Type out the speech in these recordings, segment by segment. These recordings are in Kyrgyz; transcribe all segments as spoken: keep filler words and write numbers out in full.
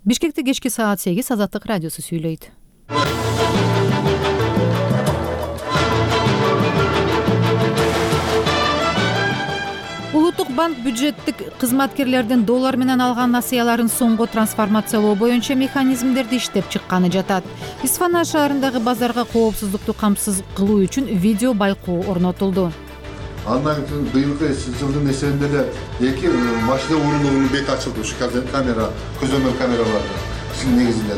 Бишкекте кечки саат сегиз Азаттык радиосу сүйлөйт. Улуттук банк бюджеттик кызматкерлердин доллар менен алган насыяларын сомго трансформациялоо боюнча механизмдерди иштеп чыкканы жатат. Исфана шаарындагы базарга коопсуздукту камсыз кылуу үчүн видео байкоо орнотулду. Андан кийин быйылкы жылдын эсебинде эле эки машина урундугунун бети ачылды. Ушу камера, көзөмөл камераларды негизинде.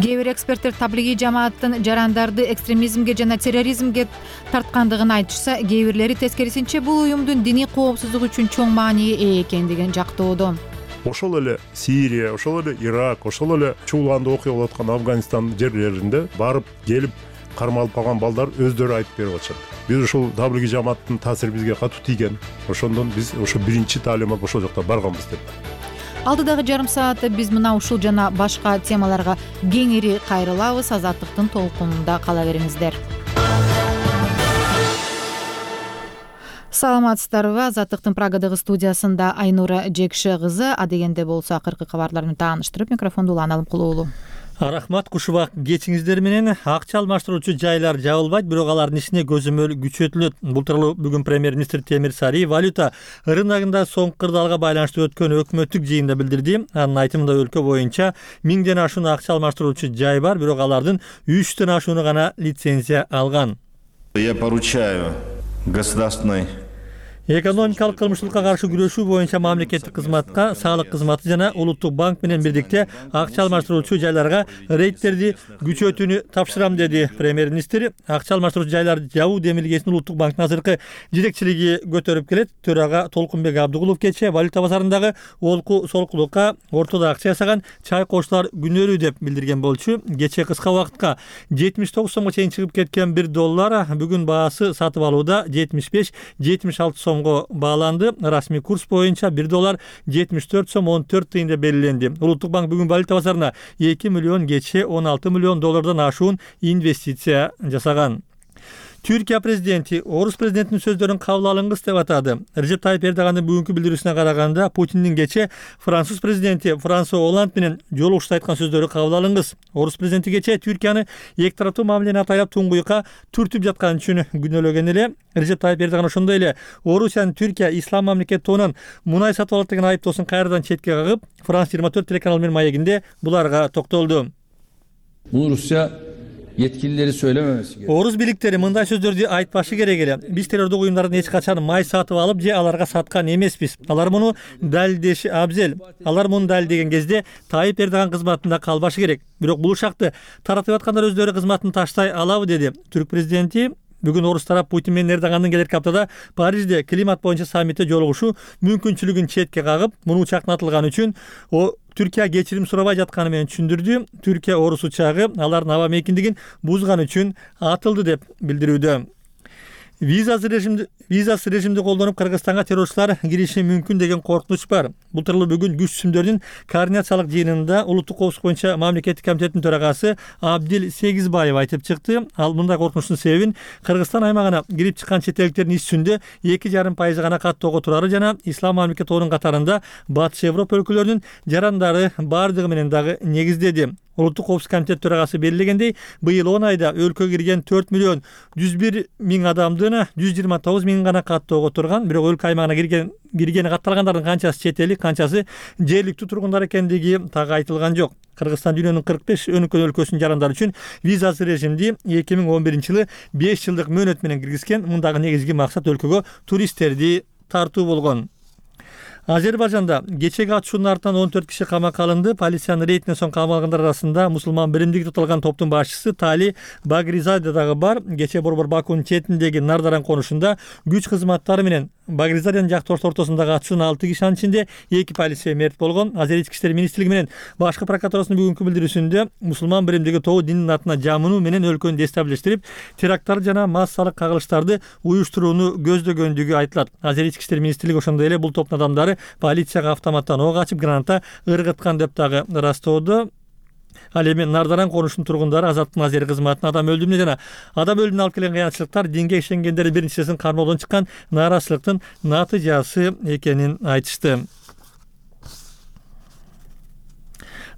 Кээ бир эксперттер таблигий жамааттын жарандарды экстремизмге жана терроризмге тарткандыгын айтышса, кээ бирлери тескерисинче бул уюмдун диний коопсуздук үчүн чоң маанийи ээ экендигин жактоодо. Ошол эле Сирия, ошол эле Ирак, ошол эле чуулганда окуя болуп аткан Афганистан жерлеринде барып келип кармалып калган балдар өздөрү айтып берип атышат. Биз ушул таблигий жамааттын таасири бизге катуу тийген. Ошондон биз ошо биринчи таалимат ошол жакта барганбыз деп. Алдыдагы жарым саатта биз мына ушул жана башка темаларга кеңири кайрылабыз. Азаттыктын толкунунда кала бериңиздер. Саламатсыздарбы? Азаттыктын Прагадагы студиясында Айнура Жекше кызы. Адегенде болсо акыркы кабарларды тааныштырып, микрофонду улан алып кулуулу. Рахмат, кушубак кечиңиздер менен. Акча алмаштыруучу жайлар жабылбайт, бирок алардын ишине көзөмөл күчөтүлөт. Бул тууралуу бүгүн премьер-министр Темир Сариев валюта рыногунда соңку кырдаалга байланыштуу өткөн өкмөттүк жыйында билдирди. Анын айтымында өлкө боюнча миңден ашуун акча алмаштыруучу жай бар, бирок алардын үчтөн ашууну гана лицензия алган. Я поручаю государственной Экономикалык кылмыштуулукка каршы күрөшүү боюнча мамлекеттик кызматка, саалык кызматы жана улуттук банк менен бирдикте акча алмаштыруучу жайларга рейдтерди күчөтүүнү тапшырам, деди премьер-министр. Акча алмаштыруучу жайларды жабуу демилгесин улуттук банктын азыркы жетекчилиги көтөрүп келет. Төрага Толкунбек Абдыгулов кечээ валюта базарындагы олку солкулукка ортодо акча жасаган чайкоочулар күнөөлүү деп билдирген болчу. Кечээ кыска убакытка жетимиш тогуз сомго чейин чыгып кеткен бир доллар бүгүн баасы сатып алууда жетимиш беш жетимиш алты сом бааланды. Расмий курс боюнча бир доллар жетимиш төрт сом он төрт тыйын деп белгиленди. Улуттук банк бүгүн валюта базарына эки миллион кече он алты миллион доллардан ашуун инвестиция жасаган. Түркия президенти орус президентинин сөздөрүн кабыл алыңыз деп атады. Режеп Тайып Эрдогандын бүгүнкү билдирүүсүнө караганда, Путиндин кече француз президенти Франсуа Олланд менен жолугушта айткан сөздөрү кабыл алыңыз. Орус президенти кече Түркияны эки тараптуу мамилени атайлап туңгуйукка түртүп жаткан үчүн күнөөлөгөн эле. Режеп Тайып Эрдоган ошондой эле Орусиянын Түркия ислам мамлекети тоонон мунай сатып алат деген айыптоосун кайрадан четке кагып, Франс жыйырма төрт телеканалы менен маегинде буларга токтолду. Бул Rusya yetkilileri söylememesi gerek. Орус бийликтери мындай сөздөрдү айтпашы керек эле. Биз террордук уюмдардан эч качан май сатып алып же аларга саткан эмеспиз. Алар муну далилдеши абзел. Алар муну далилдеген кезде Тайып Эрдоган кызматында калбашы керек. Бирок бул ушакты таратып аткандар өздөрү кызматын таштай алабы, деди. Түрк президенти бүгүн орус тарап Путин менен Эрдогандын келерки аптада Парижде климат боюнча саммитте жолугушуу мүмкүнчүлүгүн четке кагып, муну учактатылган үчүн о Түркия кечирим сурабай жатканы менен түшүндүрдү. Түркия орус учагы алардын аба мейкиндигин бузган үчүн атылды деп билдирүүдө. Визасыз режимди визасыз режимди колдонуп Кыргызстанга террорчулар кириши мүмкүн деген коркунуч бар. Бул тууралуу бүгүн күч түзүмдөрдүн координациялык жыйынында улуттук коопсуздук боюнча мамлекеттик комитеттин төрагасы Абдил Сегизбаев айтып чыкты. Ал мындай коркунучтун себебин Кыргызстан аймагына кирип чыккан чет элдиктердин иш жүзүндө эки жарым пайызы гана каттоого турары жана ислам мамлекети тоонун катарында Батыш Европа өлкөлөрүнүн жарандары бардыгы менен дагы негиздеди. Улуттук коопсуздук комитет төрагасы белгилегендей, быйыл он айда өлкөгө кирген төрт миллион жүз бир миң адамдын жүз жыйырма тогуз миң гана каттоого турган. Бирок өлкө аймагына кирген киргени катталгандардын канчасы чет элдик, канчасы жергиликтүү тургундар экендиги так айтылган жок. Кыргызстан дүйнөнүн кырк беш өнүккөн өлкөсүнүн жарандары үчүн визасыз режимди эки миң он биринчи жылы беш жылдык мөөнөт менен киргизген. Мундагы негизги максат өлкөгө туристтерди тартуу болгон. Азербайжанда кечеги атышуунун артынан он төрт киши камакка алынды. Полициянын рейдинен соң камалгандар арасында мусулман биримдиги деп аталган топтун башчысы Тали Багризаде дагы бар. Кече борбор Бакунун четиндеги Нардаран конушунда күч кызматтары менен Багризаденин жактоошулар ортосундагы атышуунун алты киши, анын ичинде эки полиция мерт болгон. Азер ички иштер министрлиги менен башкы прокуратурасынын бүгүнкү билдирүүсүндө мусулман биримдиги тобу диндин атына жамынуу менен өлкөнү дестабилиштирип, теракттарды жана массалык кагылыштарды уюштурууну көздөгөндүгү айтылат. Азер ички иштер министрлиги ошондой эле бул топтун адамдары полицияга автоматтан ок ачып, граната ыргыткан деп дагы ырастоодо. Ал эми Нардаран конушунун тургундары Азаттыктын азер кызматына адам өлүмүнө жана адам өлүмүнө алып келген кыянчылыктар динге ишенгендер биринчисин кармоодон чыккан нааразычылыктын натыйжасы экенин айтышты.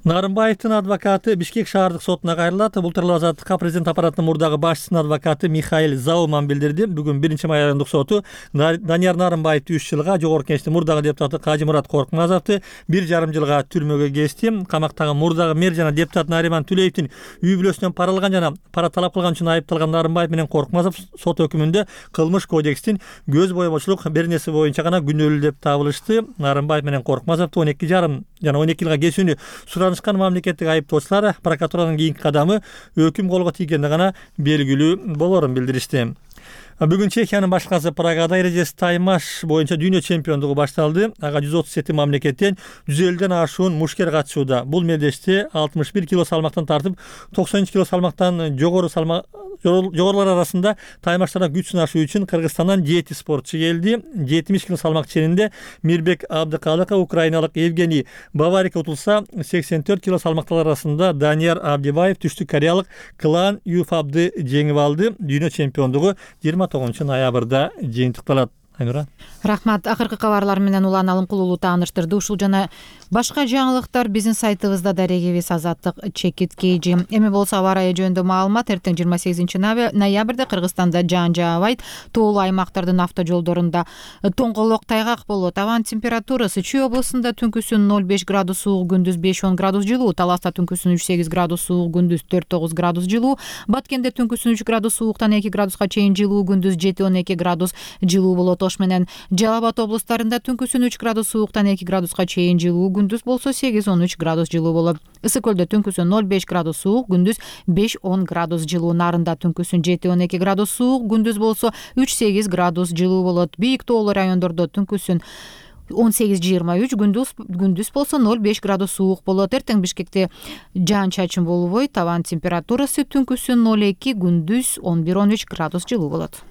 Нарымбаевдин адвокаты Бишкек шаардык сотуна кайрылат. Бул тууралуу Азаттыкка президент аппаратынын мурдагы башчысынын адвокаты Михаил Зауман билдирди. Бүгүн биринчи май райондук соту Данияр Нарымбаевди үч жылга, Жогорку Кеңештин мурдагы депутаты Кажымурат Коркмазовду бир жарым жылга түрмөгө кести. Камактагы мурдагы мэр жана депутат Нариман Түлеевдин үй бүлөсүнөн пара алган жана пара талап кылган үчүн айыпталган Нарымбаев менен Коркмазов сот өкүмүндө кылмыш кодекстин көз боемочулук беренеси боюнча гана күнөөлүү деп табылышты. Нарымбаев менен Коркмазовду он эки жарым жана он эки жылга кесүүнү суранышкан мамлекеттик айыптоочулар прокуратуранын кийинки кадамы өкүм колго тийгенде гана белгилүү болорун билдиришти. Бүгүн Чехиянын башкасы Прагада эрежеси таймаш боюнча дүйнө чемпиондугу башталды. Ага жүз отуз жети мамлекеттен жүз элүүдөн ашуун мушкер катышууда. Бул мелдеште алтымыш бир кило салмактан тартып токсон үч кило салмактан жогору салмак жогорулар арасында таймаштарда күч сынашуу үчүн Кыргызстандан жети спортчу келди. жетимиш кило салмак ченинде Мирбек Абдыкалыков, украиналык Евгений Баварик утулса, сексен төрт кило салмактар арасында Данияр Абдибаев түштүк кореялык Клан Юфабды жеңип алды. Дүйнө чемпиондугу жыйырма тогузунчу ноябрда жыйынтыкталат. Айнура. Рахмат. Акыркы кабарлар менен Улан Алымкулуулу тааныштырды. Ушул жана башка жаңылыктар биздин сайтыбызда дарегибиз Азаттык чекит кейжи. Эми болсо аба ырайы жөнүндө маалымат. Эртең жыйырма сегизинчи ноябрда Кыргызстанда жаан жаабайт. Тоолуу аймактардын автожолдорунда тоңголок тайгак болот. Абанын температурасы Чүй облусунда түнкүсүн ноль беш градус суук, күндүз беш он градус жылуу, Таласта түнкүсүн үч сегиз градус суук, күндүз төрт тогуз градус жылуу, Баткенде түнкүсүн үч градус сууктан эки градуска чейин жылуу, күндүз жети он эки градус жылуу болот. Ош менен Жалал Абад облустарында түнкүсүн үч градус сууктан эки градуска чейин жылуу, күндүз болсо сегиз он үч градус жылуу болот. Ысык көлдө түнкүсүн ноль беш градус суук, күндүз беш он градус жылуу, Нарында түнкүсүн жети он эки градус суук, күндүз болсо үч сегиз градус жылуу болот. Бийик тоолуу райондордо түнкүсүн он сегиз жыйырма үч, күндүз күндүз болсо ноль беш градус суук болот. Эртең Бишкекте жаан чачын болбойт. Абанын температурасы түнкүсүн ноль эки, күндүз он бир он үч градус жылуу болот.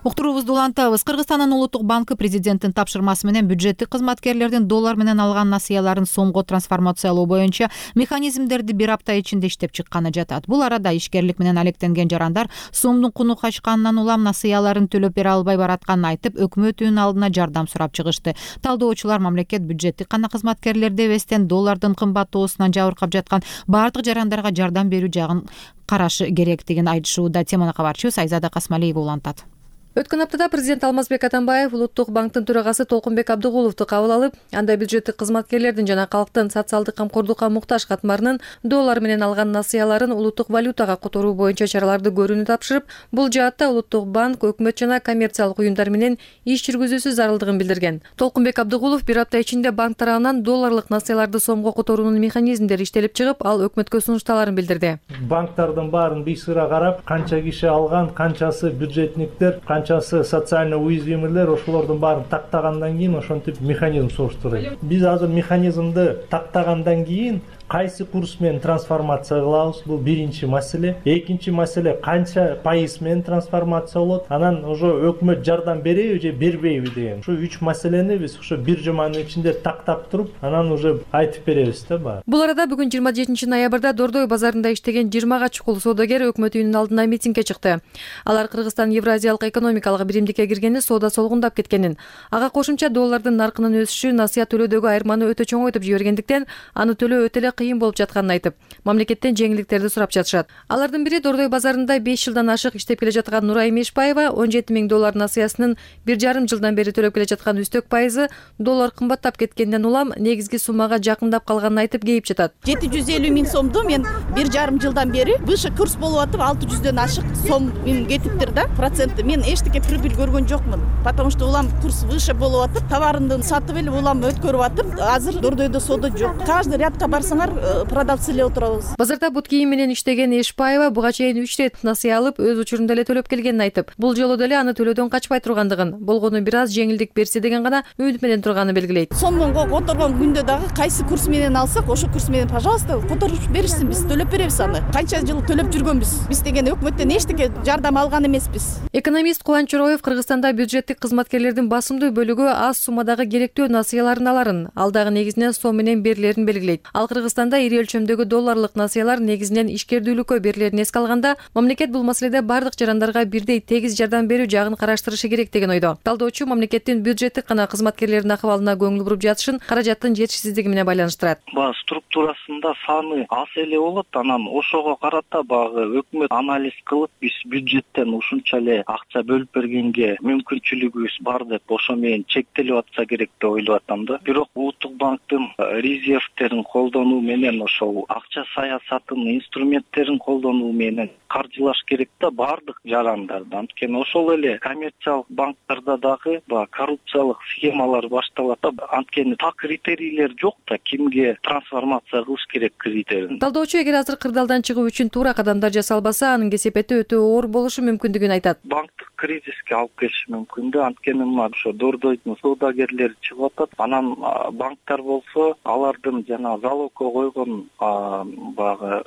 Уктуруубузду улантабыз. Кыргызстандын Улуттук банкы президенттин тапшырмасы менен бюджеттик кызматкерлердин доллар менен алган насыяларын сомго трансформациялоо боюнча механизмдерди бир апта ичинде иштеп чыкканы жатат. Бул арада ишкерлик менен алектенген жарандар сомдун куну качканынан улам насыяларын төлөп бере албай баратканын айтып, өкмөттүн алдына жардам сурап чыгышты. Талдоочулар мамлекет бюджеттик гана кызматкерлерди эбестен доллардын кымбаттоосунан жабыркап жаткан баардык жарандарга жардам берүү жагын карашы керектигин айтышууда. Теманы кабарчыбыз Айзада Касмалиева улантат. Өткөн аптада президент Алмазбек Атамбаев Улуттук банктын төрагасы Толкунбек Абдыгуловду кабыл алып, анда бюджеттик кызматкерлердин жана калктын социалдык камкордукка муктаж катмарынын доллар менен алган насыяларын улуттук валютага которуу боюнча чараларды көрүүнү тапшырып, бул жаатта Улуттук банк өкмөт жана коммерциялык уюмдар менен иш жүргүзүүсү зарылдыгын билдирген. Толкунбек Абдыгулов бир апта ичинде банк тарабынан долларлык насыяларды сомго которуунун механизмдери иштелип чыгып, ал өкмөткө сунушталарын билдирди. Банктардын баарын бийсыра карап, канча киши алган, канчасы бюджетниктер, канчасы социально уязвимыйлер, ошолордун баарын тактагандан кийин ошентип механизм соштурайт. Биз азыр механизмди тактагандан кийин кайсы курс менен трансформация кылабыз, бул биринчи маселе. Экинчи маселе канча пайыз менен трансформация болот, анан ошо өкмөт жардам береби же бербейби деген. Ушу үч маселени биз ошо бир жуманын ичинде тактап туруп, анан уже айтып беребиз да баары. Бул арада бүгүн жыйырма жетинчи ноябрда Дордой базарында иштеген жыйырмага чукул соодагер өкмөт үйүнүн алдына митингге чыкты. Алар Кыргызстан Евразиялык экономикалык биримдикке киргени соода солгундап кеткенин, ага кошумча доллардын наркынын өсүшү насыя төлөөдөгү айырманы өтө чоңойтуп жибергендиктен аны төлөө өтө эле кыйын болуп жатканын айтып, мамлекеттен жеңилдиктерди сурап жатышат. Алардын бири Дордой базарында беш жылдан ашык иштеп келе жаткан Нурай Мешбаева он жети миң доллар насыясынын бир жарым жылдан бери төлөп келе жаткан үстөк пайызы доллар кымбаттап кеткенден улам негизги суммага жакындап калганын айтып кейип жатат. жети жүз элүү миң сомду мен бир жарым жылдан бери выше курс болуп атып, алты жүздөн ашык сом кетиптир да, проценти. Мен эчтеке прибыль көргөн жокмун, потому что улам курс выше болуп атып, товарымды сатып эле улам өткөрүп атып, азыр Дордойдо соода жок. Каждый рядка барсаңар продавцы эле отурабыз. Базарда бут кийим менен иштеген Эшбаева буга чейин үч рет насыя алып, өз учурунда эле төлөп келгенин айтып, бул жолу деле аны төлөөдөн качпай тургандыгын, болгону бир аз жеңилдик берсе деген гана үмүт менен турганын белгилейт. Сомдун которгон күндө дагы кайсы курс менен алсак, ошо курс менен, пожалуйста, которуп беришсин, биз төлөп беребиз аны. Канча жыл төлөп жүргөнбүз. Биз деген өкмөттөн эчтеке жардам алган эмеспиз. Экономист Кубанч Чороев Кыргызстанда бюджеттик кызматкерлердин басымдуу бөлүгү аз суммадагы керектүү насыяларын аларын, ал дагы негизинен сом менен берилерин белгилейт. Ал Кыргызстан Кыргызстанда ири өлчөмдөгү долларлык насыялар негизинен ишкердүүлүккө берилерин эске алганда, мамлекет бул маселеде бардык жарандарга бирдей тегиз жардам берүү жагын караштырышы керек деген ойдо. Талдоочу мамлекеттин бюджеттик гана кызматкерлердин акыбалына көңүл буруп жатышын каражаттын жетишсиздиги менен байланыштырат. Баягы структурасында саны аз эле болот, анан ошого карата баягы өкмөт анализ кылып, биз бюджеттен ушунча эле акча бөлүп бергенге мүмкүнчүлүгүбүз бар деп ошо менен чектелип атса керек деп ойлоп атам да. Бирок улуттук банктын резервтерин колдонуу менен ошол акча саясатынын инструменттерин колдонуу менен каржылаш керек да бардык жарандарды. Анткени ошол эле коммерциялык банктарда дагы баягы коррупциялык схемалар башталат да. Анткени так критерийлер жок да, кимге трансформация кылыш керек критерийин. Талдоочу эгер азыр кырдаалдан чыгуу үчүн туура кадамдар жасалбаса, анын кесепети өтө оор болушу мүмкүндүгүн айтат. Банктык кризиске алып келиши мүмкүн да. Анткени мына ошо Дордойдун соодагерлери чыгып атат. Анан банктар болсо алардын жана залогко койгон баягы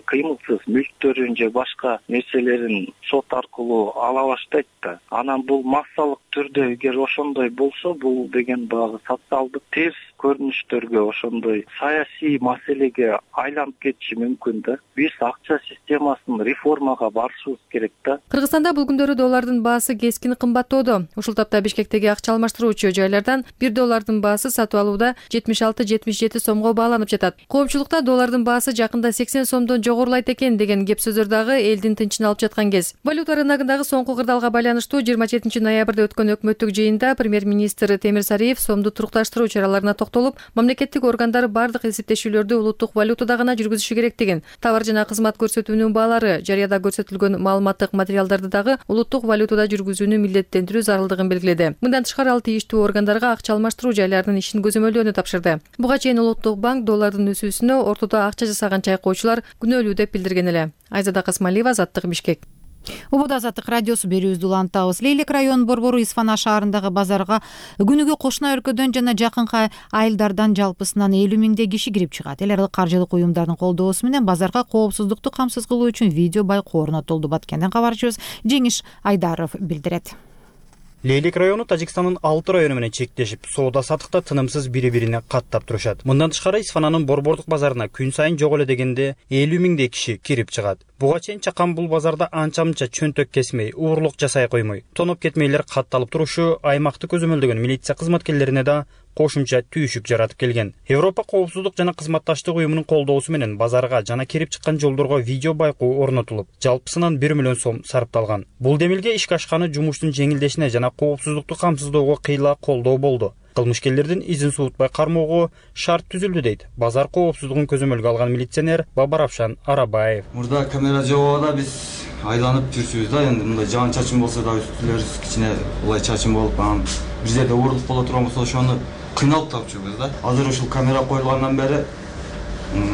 кыймылсыз мүлктөрүн же башка нерселерин сот аркылуу ала баштайт да. Анан бул массалык түрдө эгер ошондой болсо, бул деген баягы социалдык терс көрүнүштөргө, ошондой саясий маселеге айланып кетиши мүмкүн да. Биз акча системасын реформага барышыбыз керек да. Кыргызстанда бул күндөрү доллардын баасы кескин кымбаттоодо. Ушул тапта Бишкектеги акча алмаштыруучу жайлардан бир доллардын баасы сатып алууда жетимиш алты жетимиш жети сомго бааланып жатат. Коомчулукта доллардын баасы жакында сексен сомдон жогорулайт экен деген кеп сөздөр дагы элдин тынчын алып жаткан кез. Валюта рыногундагы соңку кырдаалга байланыштуу жыйырма жетинчи ноябрда өткөн өкмөттүк жыйында премьер-министр Темир Сариев сомду турукташтыруу чараларына токтолуп, мамлекеттик органдар бардык эсептешүүлөрдү улуттук валютада гана жүргүзүшү керектигин, товар жана кызмат көрсөтүүнүн баалары, жарыяда көрсөтүлгөн маалыматтык материалдарды дагы улуттук валютада жүргүзүүнү милдеттендирүү зарылдыгын белгиледи. Мындан тышкары ал тийиштүү органдарга акча алмаштыруу жайларынын ишин көзөмөлдөөнү тапшырды. Буга чейин улуттук банк доллардын өсүүсүнө ортодо акча жасаган чайкоочулар күнөөлүү деп билдирген эле. Айзада Касмалиева, Азаттык, Бишкек. Убуда Азаттык радиосу берүүбүздү улантабыз. Лейлек районунун борбору Исфана шаарындагы базарга күнүгө кошуна өлкөдөн жана жакынкы айылдардан жалпысынан элүү миңдей киши кирип чыгат. Эл аралык каржылык уюмдардын колдоосу менен базарга коопсуздукту камсыз кылуу үчүн видео байкоо орнотулду. Баткенден кабарчыбыз Жеңиш Айдаров билдирет. Лейлек району Тажикстандын алты району менен чектешип, соода сатыкта тынымсыз бири-бирине каттап турушат. Мындан тышкары Исфананын борбордук базарына күн сайын жок эле дегенде элүү миңдей киши кирип чыгат. Буга чейин чакан бул базарда анча-мынча чөнтөк кесмей, уурлук жасай коймой, тоноп кетмейлер катталып турушу аймакты көзөмөлдөгөн милиция кызматкерлерине да кошумча түйүшүк жаратып келген. Европа коопсуздук жана кызматташтык уюмунун колдоосу менен базарга жана кирип чыккан жолдорго видео байкоо орнотулуп, жалпысынан бир миллион сом сарпталган. Бул демилге ишке ашканы жумуштун жеңилдешине жана коопсуздукту камсыздоого кыйла колдоо болду. Кылмышкерлердин изин суутпай кармоого шарт түзүлдү дейт базар коопсуздугун көзөмөлгө алган милиционер Бабаравшан Арабаев. Мурда камера жок, биз айланып жүрчүбүз да, эndi мындай жаан чачын болсо да үстүлөрүбүз кичине улай чачын болуп, анан бир жерде уурлук боло турган болсо ошону кыйналып тапчубуз да. Азыр ушул камера коюлгандан бери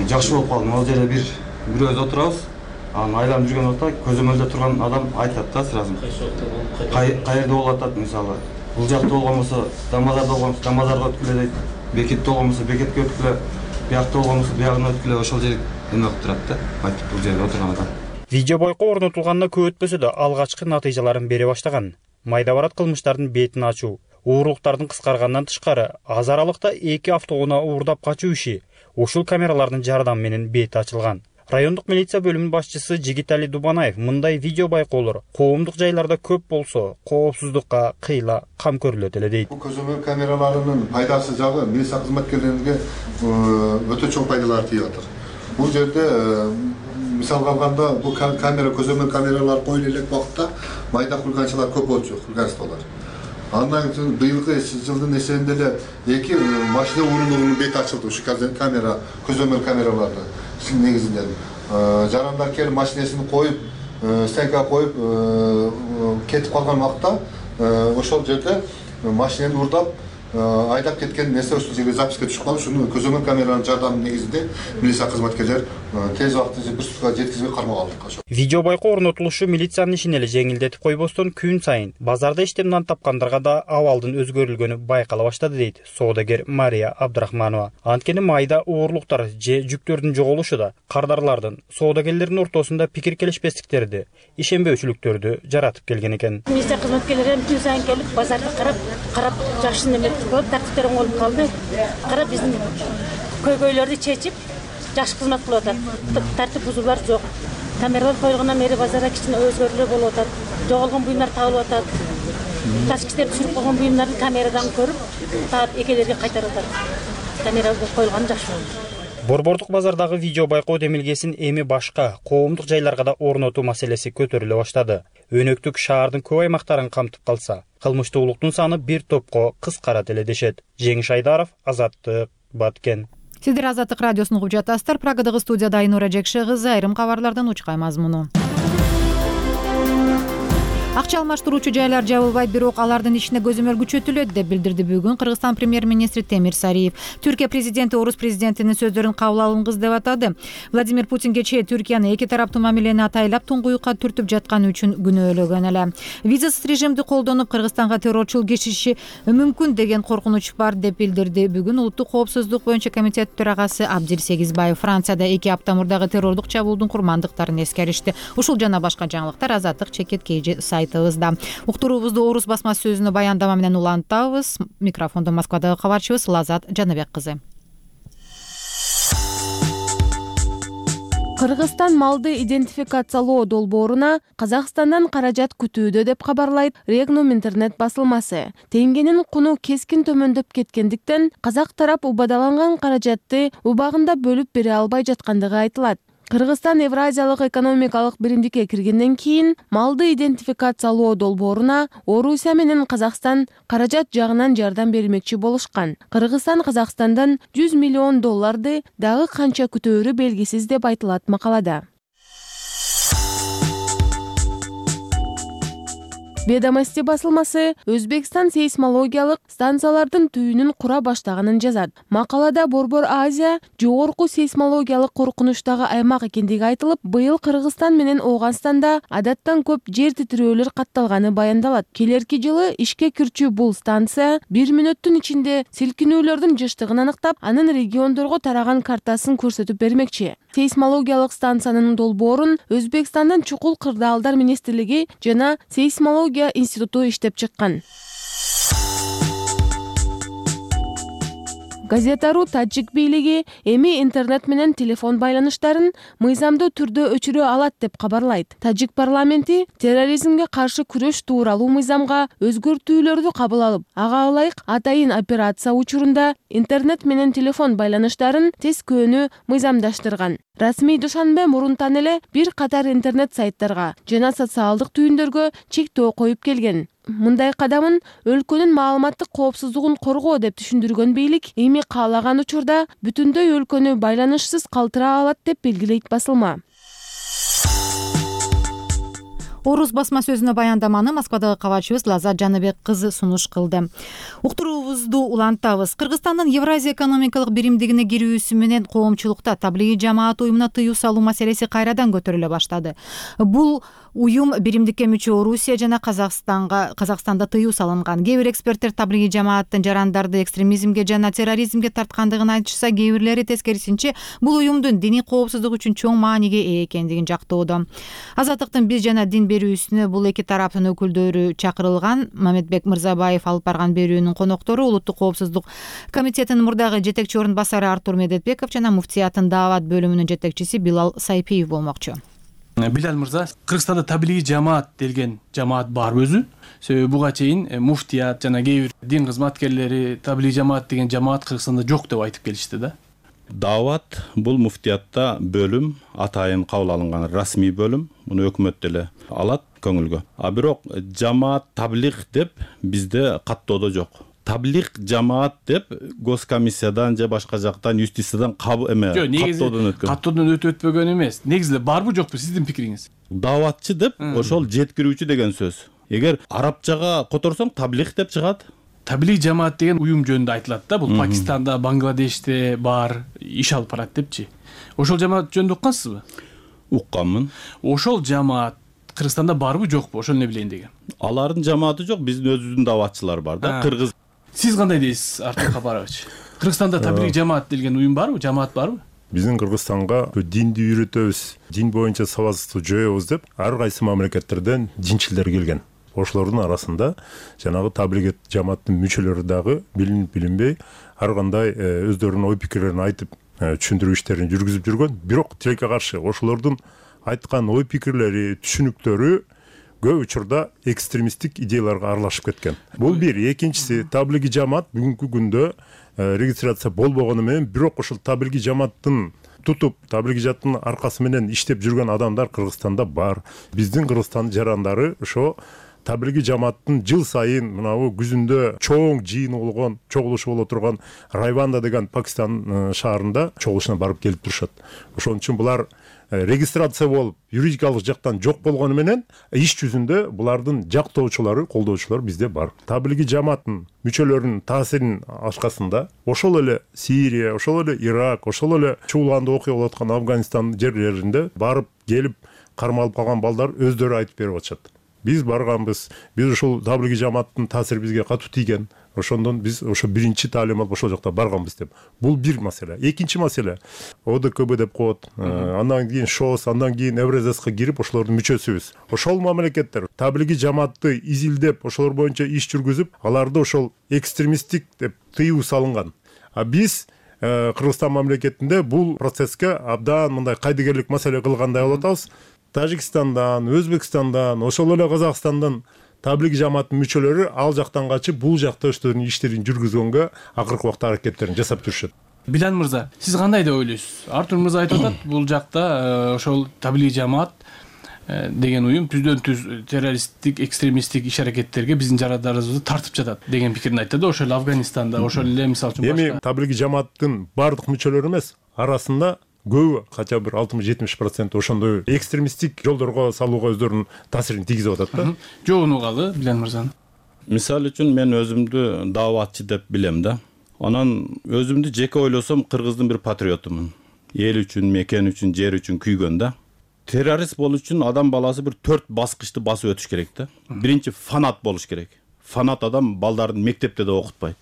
жакшы болуп калды. Ал жерде бир бирөөбүз отурабыз, анан айланып жүргөн учурда көзөмөлдө турган адам айтат да сразу. Каерде болуп атат, мисалы бул жакта болгон болсо, Дамазарда болгон болсо Дамазарга өткүлө дейт, Бекетте болгон болсо Бекетке өткүлө, биякта болгон болсо биягына өткүлө, ошол жер эме кылып турат да, айтып бул жерде отурган адам. Видео байкоо орнотулганына көп өтпөсө да алгачкы натыйжаларын бере баштаган. Майда барат кылмыштардын бетин ачуу, уурлуктардын кыскаргандан тышкары аз аралыкта эки автоунаа уурдап качуу иши ушул камералардын жардамы менен бети ачылган. Райондук милиция бөлүмүнүн башчысы Жигитали Дубанаев мындай видео байкоолор коомдук жайларда көп болсо, коопсуздукка кыйла кам көрүлөт эле дейт. Бул көзөмөл камераларынын пайдасы жагы милиция кызматкерлерине өтө чоң пайдалар тийип атат. Бул жерде мисалга алганда бул камера көзөмөл камералар коюлуп элек убакытта майда кылганчылар көп болчу, кылганчылар. Андан кийин быйылкы жылдын эсебинде эле эки машина урундугунун бети ачылды ушу камера, көзөмөл камераларды негизинен. Жарандар келип машинесин коюп, стенкага коюп кетип калган убакта ошол жерде машинени уурдап айдап кеткен нерсе ушул жерге записке түшүп калып, ушуну көзөмөл камеранын жардамы негизинде милиция кызматкерлери тез убакытта бир суткага жеткизбей кармап алдык. Видео байкоо орнотулушу милициянын ишин эле жеңилдетип койбостон күн сайын базарда иштеп нан тапкандарга да абалдын өзгөрүлгөнү байкала баштады дейт соодагер Мария Абдрахманова. Анткени майда уурлуктар же жүктөрдүн жоголушу да кардарлардын, соодагерлердин ортосунда пикир келишпестиктерди, ишенбөөчүлүктөрдү жаратып келген экен. Милиция кызматкерлери күн сайын келип базарды карап, карап жакшы неме турган тартиптер оңолуп калды. Карап биздин көйгөйлөрдү чечип, жакшы кызмат кылып атат. Тартип бузуулар жок. Камералар коюлгандан бери базарда кичине өзгөрүүлөр болуп атат. Жоголгон буюмдар табылып атат. Ташкичтер түшүрүп койгон буюмдарды камерадан көрүп, таап экелерге кайтарып атат. Камера коюлганы жакшы болду. Борбордук базардагы видео байкоо демилгесин эми башка коомдук жайларга да орнотуу маселеси көтөрүлө баштады. Өнөктүк шаардын көп аймактарын камтып калса, кылмыштуулуктун саны бир топко кыскарат эле дешет. Жеңиш Айдаров, Азаттык, Баткен. Сиздер Азаттык радиосун угуп жатасыздар. Прагадагы студияда Айнура Жекше кызы, айрым кабарлардан учкай мазмуну. Акча алмаштыруучу жайлар жабылбайт, бирок алардын ишине көзөмөл күчөтүлөт деп билдирди бүгүн Кыргызстан премьер-министри Темир Сариев. Түркия президенти орус президентинин сөздөрүн кабыл алынгыс деп атады. Владимир Путин кечээ Түркияны эки тараптуу мамилени атайлап туңгуюкка түртүп жатканы үчүн күнөөлөгөн эле. Визасыз режимди колдонуп Кыргызстанга террорчул киришиши мүмкүн деген коркунуч бар деп билдирди бүгүн Улуттук коопсуздук боюнча комитет төрагасы Абдир Сегизбаев. Францияда эки апта мурдагы террордук чабуулдун курмандыктарын эскеришти. Ушул жана башка жаңылыктар Азаттык чекет сайт Уктуруубузду орус басма сөзүнө баяндама менен улантабыз. Микрофондо Москвадагы кабарчыбыз Лазат Жаныбек кызы. Кыргызстан малды идентификациялоо долбооруна Казакстандан каражат күтүүдө деп кабарлайт Регнум интернет басылмасы. Теңгенин куну кескин төмөндөп кеткендиктен казак тарап убадаланган каражатты убагында бөлүп бере албай жаткандыгы айтылат. Кыргызстан Евразиялык экономикалык биримдикке киргенден кийин малды идентификациялоо долбооруна Орусия менен Казакстан каражат жагынан жардам бермекчи болушкан. Кыргызстан Казакстандан жүз миллион долларды дагы канча күтөөрү белгисиз деп айтылат макалада. Ведомости басылмасы Өзбекстан сейсмологиялык станциялардын түйүнүн кура баштаганын жазат. Макалада Борбор Азия жогорку сейсмологиялык коркунучтагы аймак экендиги айтылып, быйыл Кыргызстан менен Ооганстанда адаттан көп жер титирөөлөр катталганы баяндалат. Келерки жылы ишке кирчү бул станция бир мүнөттүн ичинде силкинүүлөрдүн жыштыгын аныктап, анын региондорго тараган картасын көрсөтүп бермекчи. Сейсмологиялык станциянын долбоорун Өзбекстандын чукул кырдаалдар министрлиги жана сейсмология институту иштеп чыккан. Газетару Таджик бийлиги эми интернет менен телефон байланыштарын мыйзамдуу түрдө өчүрө алат деп кабарлайт. Таджик парламенти терроризмге каршы күрөш тууралуу мыйзамга өзгөртүүлөрдү кабыл алып, ага ылайык атайын операция учурунда интернет менен телефон байланыштарын тескөөнү мыйзамдаштырган. Расмий Душанбе мурунтан эле бир катар интернет сайттарга жана социалдык түйүндөргө чектөө коюп келген. Мындай кадамын өлкөнүн маалыматтык коопсуздугун коргоо деп түшүндүргөн бийлик эми каалаган учурда бүтүндөй өлкөнү байланышсыз калтыра алат деп белгилейт басылма. Орус басма сөзүнө баяндаманы Москвадагы кабарчыбыз Лазат Жаныбек кызы сунуш кылды. Уктуруубузду улантабыз. Кыргызстандын Евразия экономикалык биримдигине кирүүсү менен коомчулукта таблигий жамаат уюмуна тыюу салуу маселеси кайрадан көтөрүлө баштады. Бул уюм биримдикке мүчө Орусия жана Казакстанга Казакстанда тыюу салынган. Кээ бир эксперттер таблигий жамааттын жарандарды экстремизмге жана терроризмге тарткандыгын айтышса, кээ бирлери тескерисинче бул уюмдун диний коопсуздук үчүн чоң мааниге ээ экендигин жактоодо. Азаттыктын биз жана дин берүүсүнө бул эки тараптын өкүлдөрү чакырылган. Мамедбек Мырзабаев алып барган берүүнүн коноктору Улуттук коопсуздук комитетинин мурдагы жетекчи орун басары Артур Медетбеков жана муфтиятын даават бөлүмүнүн жетекчиси Билал Сайпиев болмокчу. Билал мырза, Кыргызстанда таблигий жамаат делген жамаат бар өзү. Себеби буга чейин муфтият жана кээ бир дин кызматкерлери таблигий жамаат деген жамаат Кыргызстанда жок деп айтып келишти да. Даават бул муфтиятта бөлүм, атайын кабыл алынган расмий бөлүм, муну өкмөт деле алат көңүлгө. А бирок жамаат таблиг деп бизде каттоодо жок. Таблиг жамаат деп госкомиссиядан же башка жактан юстициядан кабыл эме каттоодон өткөн. Каттоодон өтүп өтпөгөн эмес. Негизи барбы жокпу сиздин пикириңиз? Дааватчы деп ошол жеткирүүчү деген сөз. Эгер арабчага которсоң таблиг деп чыгат. Таблиг жамаат деген уюм жөнүндө айтылат да. Бул Пакистанда, Бангладеште бар, иш алып барат депчи. Ошол жамаат жөнүндө уккансызбы? Укканмын. Ошол жамаат Кыргызстанда барбы жокпу? Ошол эле билейин деген. Алардын жамааты жок, биздин өзүбүздүн дааватчылар бар да. Кыргыз. Сиз кандай дейсиз, Артур Капарович? Кыргызстанда таблиг жамаат делген уюм барбы, жамаат барбы? Биздин Кыргызстанга динди үйрөтөбүз, дин боюнча сабатсыздыкты жоебуз деп ар кайсы мамлекеттерден динчилдер келген. Ошолордун арасында жанагы таблиг жамааттын мүчөлөрү дагы билинип билинбей ар кандай өздөрүнүн ой пикирлерин айтып түшүндүрүү иштерин жүргүзүп жүргөн, бирок тилекке каршы ошолордун айткан ой пикирлери, түшүнүктөрү көп учурда экстремисттик идеяларга аралашып кеткен. Бул бир. Экинчиси, таблиги жамаат бүгүнкү күндө регистрация болбогону менен, бирок ошол таблиги жамааттын тутуп, таблиги жамааттын аркасы менен иштеп жүргөн адамдар Кыргызстанда бар. Биздин Кыргызстандын жарандары ошо таблиги жамааттын жыл сайын мынабу күзүндө чоң жыйын болгон, чогулушу боло турган Райванда деген Пакистан шаарында чогулушуна барып келип турушат. Ошон үчүн булар регистрация болуп, юридикалык жактан жок болгону менен, иш жүзүндө булардын жактоочулары, колдоочулары бизде бар. Таблиги жамааттын мүчөлөрүнүн таасиринин аркасында ошол эле Сирия, ошол эле Ирак, ошол эле чуулганда окуя болуп аткан Афганистан жерлеринде барып келип кармалып калган балдар өздөрү айтып берип атышат. Биз барганбыз, биз ошол таблиги жамааттын таасири бизге катуу тийген. Ошондон биз ошо биринчи таалим алып ошол жакта барганбыз деп. Бул бир маселе. Экинчи маселе, О Д К Б деп коет. Андан кийин ШОС, андан кийин Евразияска кирип ошолордун мүчөсүбүз. Ошол мамлекеттер таблиги жамаатты изилдеп, ошолор боюнча иш жүргүзүп, аларды ошол экстремисттик деп тыюу салынган. А биз Кыргызстан мамлекетинде бул процесске абдан мындай кайдыгерлик маселе кылгандай болуп атабыз. Тажикстандан, Өзбекстандан, ошол эле Казакстандан таблиги жамааттын мүчөлөрү ал жактан качып, бул жакта өздөрүнүн иштерин жүргүзгөнгө акыркы убакта аракеттерин жасап жүрүшөт. Билан мырза, сиз кандай деп ойлойсуз? Артур мырза айтып атат, бул жакта ошол таблиги жамаат деген уюм түздөн түз террористтик, экстремисттик иш аракеттерге биздин жарандарыбызды тартып жатат деген пикирин айтты да. Ошол эле Афганистанда, ошол эле мисалы үчүн башка. Эми таблиги жамааттын бардык мүчөлөрү эмес, арасында көбү, кача бир алтымыш жетимиш процент ошондой экстремисттик жолдорго салууга өздөрүнүн таасирин тийгизип атат да. Жогун угалы Билан мырзаны. Мисалы үчүн мен өзүмдү дааватчы деп билем да. Анан өзүмдү жеке ойлосом Кыргыздын бир патриотумун. Эл үчүн, мекен үчүн, жер үчүн күйгөн да. Террорист болуу үчүн адам баласы бир төрт баскычты басып өтүш керек да. Биринчи фанат болуш керек. Фанат адам балдарын мектепте да окутпайт.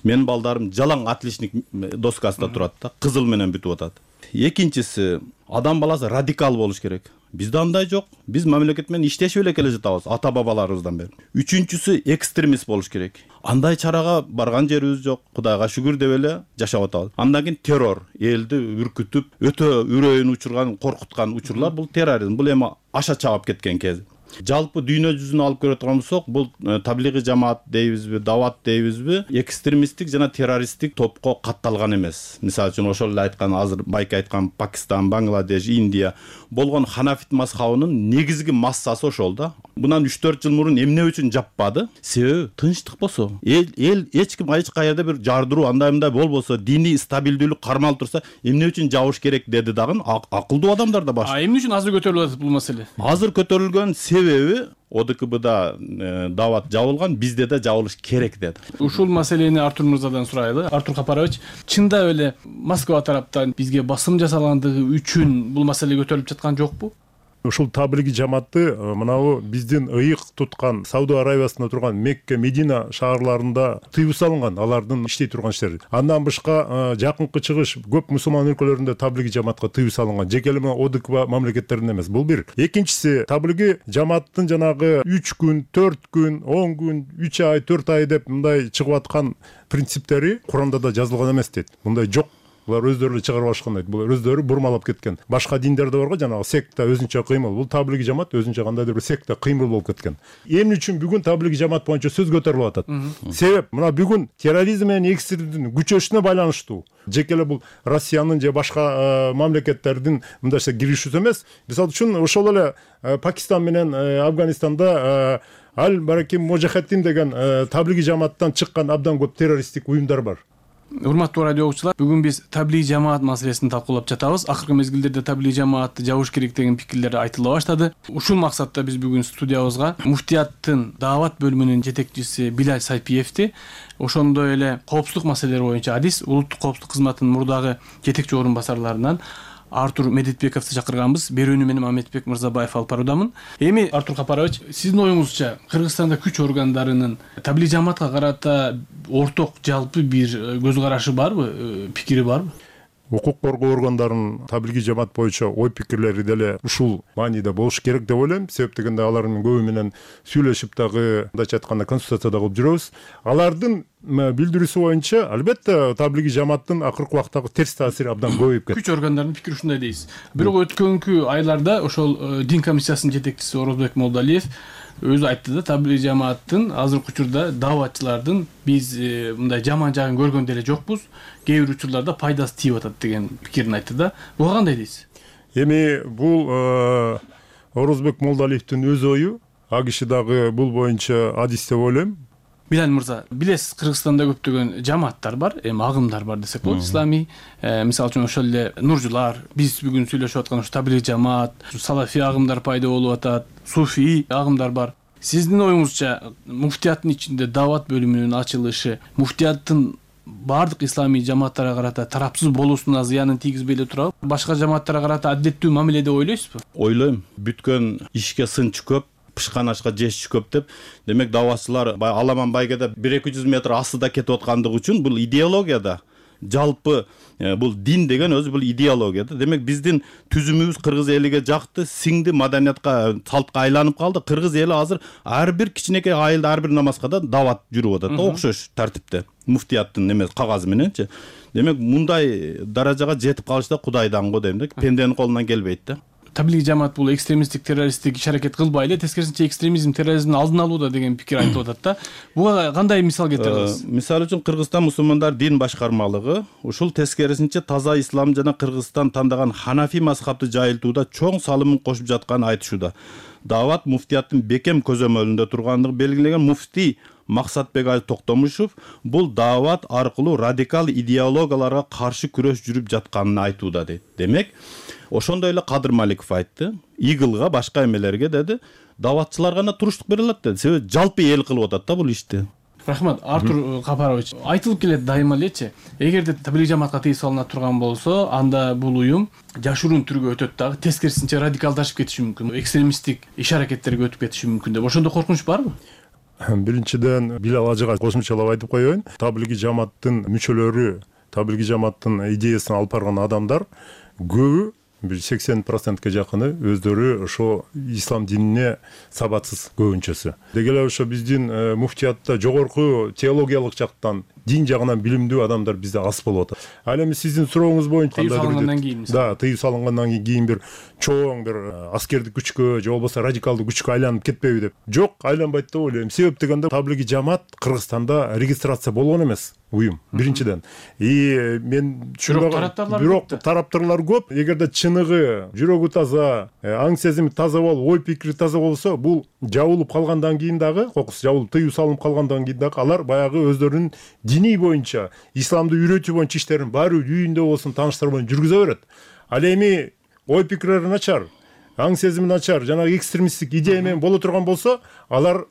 Менин балдарым жалаң отличник доскасында турат да, кызыл менен бүтүп атат. Экинчиси, адам баласы радикал болуш керек. Бизде андай жок. Биз мамлекет менен иштешип эле келе жатабыз, ата бабаларыбыздан бери. Үчүнчүсү, экстремист болуш керек. Андай чарага барган жерибиз жок. Кудайга шүгүр деп эле жашап атабыз. Андан кийин террор, элди үркүтүп, өтө үрөйүн учурган, коркуткан учурлар бул терроризм. Бул эми аша чаап кеткен кез. Жалпы дүйнө жүзүнө алып көрө турган болсок, бул таблиги жамаат дейбизби, дават дейбизби, экстремисттик жана террористтик топко катталган эмес. Мисалы үчүн ошол эле айткан, азыр байке айткан Пакистан, Бангладеш, Индия болгон ханафит мазхабынын негизги массасы ошол да. Мындан үч төрт жыл мурун эмне үчүн жаппады? Себеби тынчтык болсо, эл эл эч ким эч каерде бир жардыруу андай мындай болбосо, диний стабилдүүлүк кармалып турса, эмне үчүн жабыш керек деди дагы акылдуу адамдар да баш. А эмне үчүн азыр көтөрүлүп атат бул маселе? Азыр көтөрүлгөн себеби О Д К Бда дават жабылган, бизде да жабылыш керек деди. Ушул маселени Артур мырзадан сурайлы. Артур Капарович, чындап эле Москва тараптан бизге басым жасалгандыгы үчүн бул маселе көтөрүлүп жаткан жокпу? Ушул таблиги жамаатты мынабу биздин ыйык туткан Сауд Аравиясында турган Мекке, Медина шаарларында тыюу салынган, алардын иштей турган иштери. Андан башка жакынкы чыгыш көп мусулман өлкөлөрүндө таблиги жамаатка тыюу салынган. Жеке эле О Д К Б мамлекеттеринде эмес. Бул бир. Экинчиси, таблиги жамааттын жанагы үч күн, төрт күн, он күн, үч ай, төрт ай деп мындай чыгып аткан принциптери Куранда да жазылган эмес дейт. Мындай жок. Булар өздөрү эле чыгарып алышкан дейт. Булар өздөрү бурмалап кеткен. Башка диндерде барго жанагы секта өзүнчө кыймыл. Бул таблиги жамаат өзүнчө кандайдыр бир секта кыймыл болуп кеткен. Эмне үчүн бүгүн таблиги жамаат боюнча сөз көтөрүлүп атат? Себеп мына бүгүн терроризм менен экстремизмдин күчөшүнө байланыштуу. Жеке эле бул Россиянын же башка мамлекеттердин мындайча киришүүсү эмес. Мисалы үчүн ошол эле Пакистан менен Афганистанда Аль Бараким Мужахеддин деген таблиги жамааттан чыккан абдан көп террористтик уюмдар бар. Урматтуу радио угуучулар, бүгүн биз таблиги жамаат маселесин талкуулап жатабыз. Акыркы мезгилдерде таблиги жамаатты жабыш керек деген пикирлер айтыла баштады. Ушул максатта биз бүгүн студиябызга муфтияттын даават бөлүмүнүн жетекчиси Билал Сайпиевди, ошондой эле коопсуздук маселелери боюнча адис улуттук коопсуздук кызматынын мурдагы жетекчи орун басарларынан Артур Медетбековду чакырганбыз. Берүүнү менен Мамедбек Мырзабаев алып баруудамын. Эми Артур Капарович, сиздин оюңузча Кыргызстанда күч органдарынын таблиги жамаатка карата орток жалпы бир көз карашы барбы, пикири барбы? укук коргоо органдарынын табилгий жамаат боюнча ой пикирлери деле ушул мааниде болуш керек деп ойлойм. Себеп дегенде алардын көбү менен сүйлөшүп дагы, мындайча айтканда, консультация кылып жүрөбүз. Алардын билдирүүсү боюнча албетте табилгий жамааттын акыркы убактагы терс таасири абдан көбөйүп кетти. Күч органдарынын пикири ушундай дейсиз. Бирок өткөнкү айларда ошол дин комиссиясынын жетекчиси Орозбек Молдалиев өзү айтты да, табилгий жамааттын азыркы учурда дааватчылардын биз мындай жаман жагын көргөн деле жокпуз, кээ бир учурларда пайдасы тийип атат деген пикирин айтты да. Буга кандай дейсиз? Эми бул Орозбек Молдалиевдин өз ою, а киши дагы бул боюнча адис деп ойлойм. Билал мырза, билесиз, Кыргызстанда көптөгөн жамааттар бар, эми агымдар бар десек болот, исламий. Мисалы үчүн ошол эле нуржулар, биз бүгүн сүйлөшүп аткан ушу табилгий жамаат, салафий агымдар пайда болуп атат, суфий агымдар бар. Сиздин оюңузча, муфтияттын ичинде даават бөлүмүнүн ачылышы муфтияттын бардык исламий жамааттарга карата тарапсыз болуусуна зыянын тийгизбей эле турабы? Башка жамааттарга карата адилеттүү мамиле деп ойлойсузбу? Ойлойм. Бүткөн ишке сынчы көп, пышкан ашка жеш көп деп. Демек дааватчылар Аламан байгеде бир эки жүз метр астыда кетип аткандыгы үчүн бул идеологияда, жалпы бул дин деген өзү бул идеологияда. Демек биздин түзүмүбүз кыргыз элиге жакты, сиңди, маданиятка, салтка айланып калды. Кыргыз эли азыр ар бир кичинекей айылда ар бир намазга да даават жүрүп атат, окшош тартипте. Муфтияттын эмес кагазы мененчи. Демек мындай даражага жетип калыш да Кудайдан го дейм да, пенденин колунан келбейт да. Табилгий жамаат бул экстремисттик, террористтик иш-аракет кылбай эле, тескерисинче экстремизм, терроризмдин алдын алууда деген пикир айтылып атат да. Буга кандай мисал келтире аласыз? Мисалы үчүн Кыргызстан мусулмандар дин башкармалыгы ушул тескерисинче таза ислам жана Кыргызстан тандаган Ханафи мазхабты жайылтууда чоң салымын кошуп жатканын айтышууда. Даават муфтияттын бекем көзөмөлүндө тургандыгы белгилеген муфтий Максатбек Али Токтомушев бул даават аркылуу радикал идеологияларга каршы күрөш жүрүп жатканын айтууда дейт. Демек, ошондой эле Кадыр Маликов айтты, игылга, башка эмелерге деди, дааватчылар гана туруштук бере алат деди. Себеби жалпы эл кылып атат да бул ишти. Рахмат, Артур Капарович. Айтылып келет дайыма элечи, эгерде табилгий жамаатка тыюу салына турган болсо, анда бул уюм жашыруун түргө өтөт дагы, тескерисинче радикалдашып кетиши мүмкүн, экстремисттик иш-аракеттерге өтүп кетиши мүмкүн деп. Ошондо коркунуч барбы? Биринчиден, Билал ажыга кошумчалап айтып коеюн. Табилгий жамааттын мүчөлөрү, табилгий жамааттын идеясын алып барган адамдар көбү, бир сексен процентке жакыны өздөрү ошо ислам динине сабатсыз көбүнчөсү. Деги эле ошо биздин муфтиятта жогорку теологиялык жактан, дин жагынан билимдүү адамдар бизде аз болуп атат. Ал эми сиздин сурооңуз боюнча тыюу салынгандан кийин, да, тыюу салынгандан кийин бир чоң бир аскердик күчкө же болбосо радикалдуу күчкө айланып кетпейби деп. Жок, айланбайт деп ойлойм. Себеп дегенде табилгий жамаат Кыргызстанда регистрация болгон эмес уюм, биринчиден. И мен тараптарлар бирок тараптарлар көп. Эгерде чыныгы, жүрөгү таза, аң сезими таза болуп, ой пикири таза болсо, бул жабылып калгандан кийин дагы, кокус жабылып, тыюу салынып калгандан кийин дагы алар баягы өздөрүнүн дини боюнча, исламды үйрөтүү боюнча иштерин баары үйүндө болсун, тааныштар менен жүргүзө берет. Ал эми ой пикирлери начар, аң сезими начар, жанагы экстремисттик идея менен боло турган болсо, алар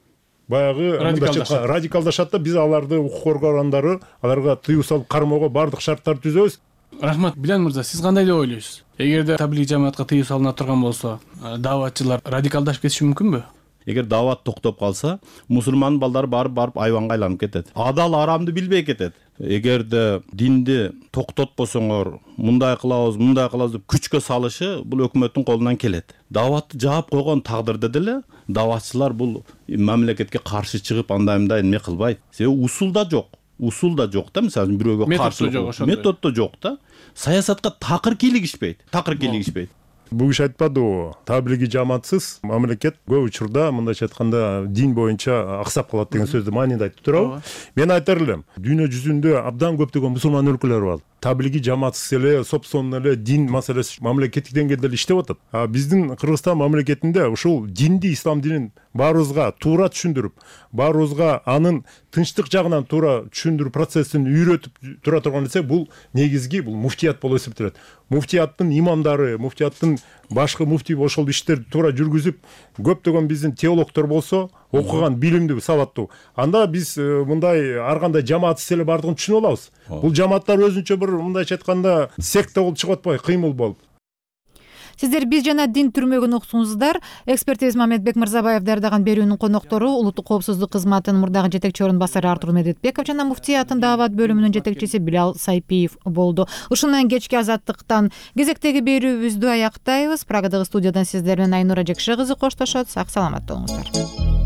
баягы радикалдашат да, биз аларды укук коргоо органдары аларга тыюу салып кармоого бардык шарттарды түзөбүз. Рахмат, Билал мырза, сиз кандай деп ойлойсуз? Эгерде табилгий жамаатка тыюу салына турган болсо, дааватчылар радикалдашып кетиши мүмкүнбү? Эгер даават токтоп калса, мусулман балдар барып барып айванга айланып кетет. Адал арамды билбей кетет. Эгерде динди токтотпосоңор, мындай кылабыз, мындай кылабыз деп күчкө салышы бул өкмөттүн колунан келет. Дааватты жаап койгон тагдырда деле дааватчылар бул мамлекетке каршы чыгып андай-мындай эме кылбайт. Себеби усул да жок. Усул да жок да, мисалы бирөөгө каршы метод да жок да. Саясатка такыр кийлигишпейт. Такыр кийлигишпейт. Бул киши айтпадыбы, табилгий жамаатсыз мамлекет көп учурда, мындайча айтканда, дин боюнча аксап калат деген сөздү мааниде айтып турабы? Мен айтар элем, дүйнө жүзүндө абдан көптөгөн мусулман өлкөлөр бар. Табилгий жамаатсыз эле, собственно эле дин маселеси мамлекеттик деңгээлде иштеп атат. А биздин Кыргызстан мамлекетинде ушул динди, ислам динин баарыбызга туура түшүндүрүп, баарыбызга анын тынчтык жагынан туура түшүндүрүү процессин үйрөтүп тура турган десе, бул негизги бул муфтият болуп эсептелет. Муфтияттын имамдары, муфтияттын башкы муфтий ошол иштерди туура жүргүзүп, көптөгөн биздин теологдор болсо, окуган, билимдүү, сабаттуу. Анда биз мындай ар кандай жамаатсыз эле бардыгын түшүнүп алабыз. Бул жамааттар өзүнчө бир мындайча айтканда секта болуп чыгып атпайбы, кыймыл болуп. Сиздер биз жана дин түрмөгүн уктуңуздар. Экспертибиз Мамедбек Мырзабаев даярдаган берүүнүн коноктору улуттук коопсуздук кызматынын мурдагы жетекчи орун басары Артур Медетбеков жана муфтиятын даават бөлүмүнүн жетекчиси Билал Сайпиев болду. Ушун менен кечки азаттыктан кезектеги берүүбүздү аяктайбыз. Прагадагы студиядан сиздер менен Айнура Жекше кызы коштошот. Сак саламат болуңуздар.